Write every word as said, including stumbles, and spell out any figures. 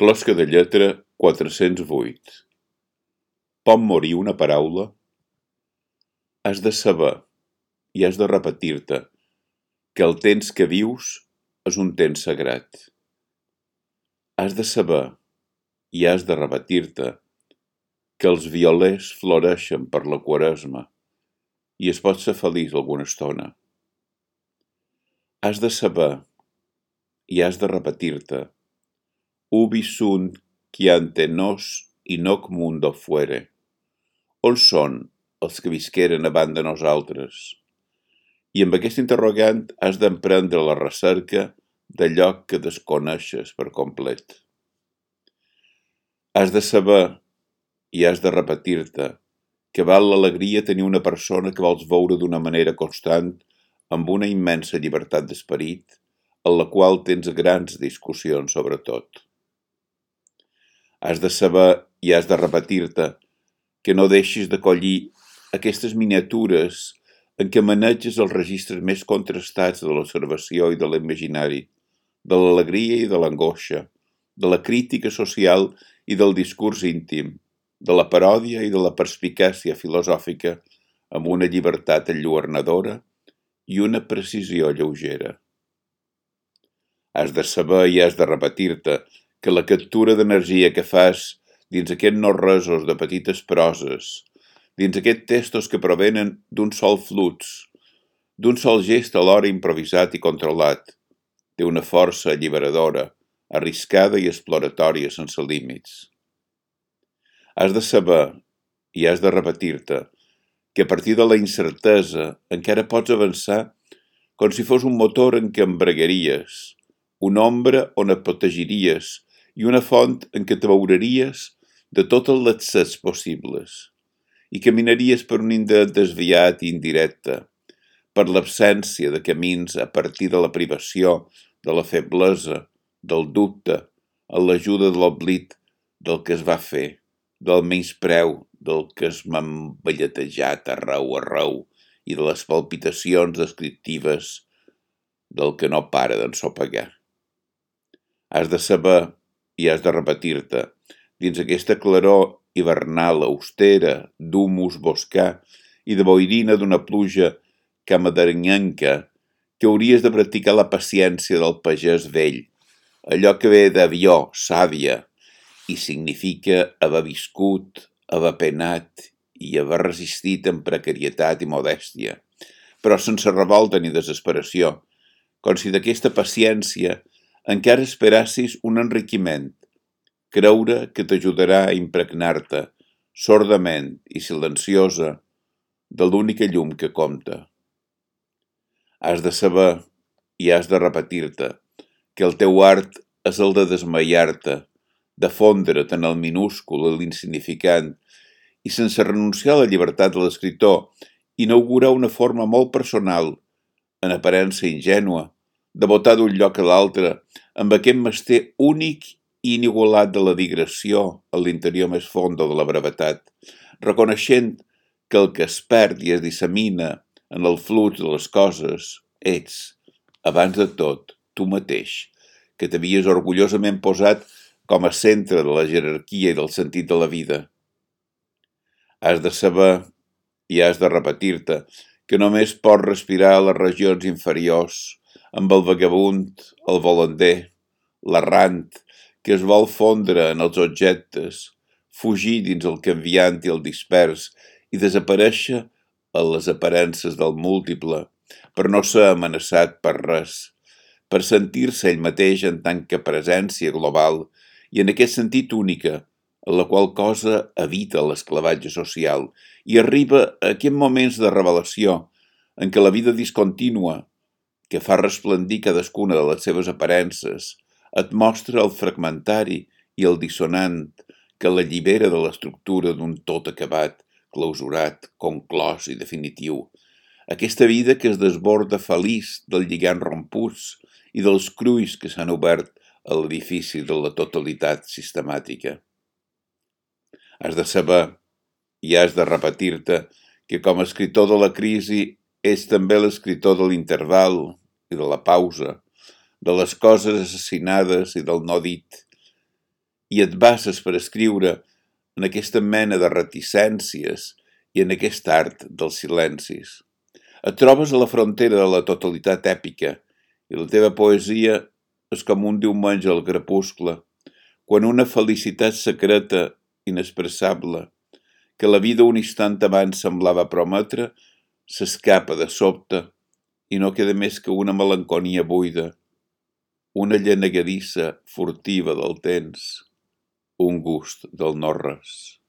Closca de lletra quatre-cents vuit. Pot morir una paraula? Has de saber, i has de repetir-te, que el temps que vius és un temps sagrat. Has de saber, i has de repetir-te, que els violers floreixen per la Quaresma i es pot ser feliç alguna estona. Has de saber, i has de repetir-te, ubi sunt qui ante nos i noc mundo fuere. On són els que visqueren abans de nosaltres? I amb aquest interrogant has d'emprendre la recerca d'allò que desconeixes per complet. Has de saber, i has de repetir-te, que val l'alegria tenir una persona que vols veure d'una manera constant, amb una immensa llibertat d'esperit, en la qual tens grans discussions sobre tot. Has de saber i has de repetir-te que no deixis de collir aquestes miniatures en què maneges els registres més contrastats de l'observació i de l'imaginari, de l'alegria i de l'angoixa, de la crítica social i del discurs íntim, de la paròdia i de la perspicàcia filosòfica amb una llibertat enlluernadora i una precisió lleugera. Has de saber i has de repetir-te que la captura d'energia que fas dins aquests no-resos de petites proses, dins aquests textos que provenen d'un sol flux, d'un sol gest alhora improvisat i controlat, té una força alliberadora, arriscada i exploratòria sense límits. Has de saber, i has de repetir-te, que a partir de la incertesa encara pots avançar com si fos un motor en què embragueries, una ombra on et protegiries i una font en què te veureries de tots els accés possibles i caminaries per un indret desviat i indirecte, per l'absència de camins a partir de la privació, de la feblesa, del dubte, en l'ajuda de l'oblit del que es va fer, del menyspreu del que es m'ha emballetejat arreu arreu i de les palpitacions descriptives del que no para d'ensopegar. Has de saber i has de repetir-te, dins aquesta claror hivernal austera d'humus boscà i de boirina d'una pluja camaderenyenca, que hauries de practicar la paciència del pagès vell, allò que ve d'avió, sàvia, i significa haver viscut, haver penat i haver resistit amb precarietat i modèstia, però sense revolta ni desesperació, com si d'aquesta paciència encara esperassis un enriquiment, creure que t'ajudarà a impregnar-te, sordament i silenciosa, de l'única llum que compta. Has de saber i has de repetir-te que el teu art és el de desmaiar-te, de fondre't en el minúscul i l'insignificant, i sense renunciar a la llibertat de l'escriptor, inaugurar una forma molt personal, en aparença ingènua, de botar d'un lloc a l'altre, amb aquest mester únic i inigualat de la digressió a l'interior més fondo de la brevetat, reconeixent que el que es perd i es dissemina en el flux de les coses ets, abans de tot, tu mateix, que t'havies orgullosament posat com a centre de la jerarquia i del sentit de la vida. Has de saber i has de repetir-te que només pots respirar a les regions inferiors, amb el vagabund, el volander, l'errant, que es vol fondre en els objectes, fugir dins el canviant i el dispers i desaparèixer en les aparences del múltiple, per no ser amenaçat per res, per sentir-se ell mateix en tant que presència global i en aquest sentit única, en la qual cosa evita l'esclavatge social i arriba a aquests moments de revelació en què la vida discontínua, que fa resplendir cadascuna de les seves aparences, et mostra el fragmentari i el dissonant que l'allibera de l'estructura d'un tot acabat, clausurat, conclòs i definitiu. Aquesta vida que es desborda feliç del lligam romputs i dels crulls que s'han obert a l'edifici de la totalitat sistemàtica. Has de saber i has de repetir-te que com a escriptor de la crisi ets també l'escriptor de l'interval i de la pausa, de les coses assassinades i del no dit, i et bases per escriure en aquesta mena de reticències i en aquest art dels silencis. Et trobes a la frontera de la totalitat èpica i la teva poesia és com un diumenge al crepuscle, quan una felicitat secreta, inexpressable, que la vida un instant abans semblava prometre, s'escapa de sobte i no queda més que una melanconia buida, una llenegadissa furtiva del temps, un gust del no-res.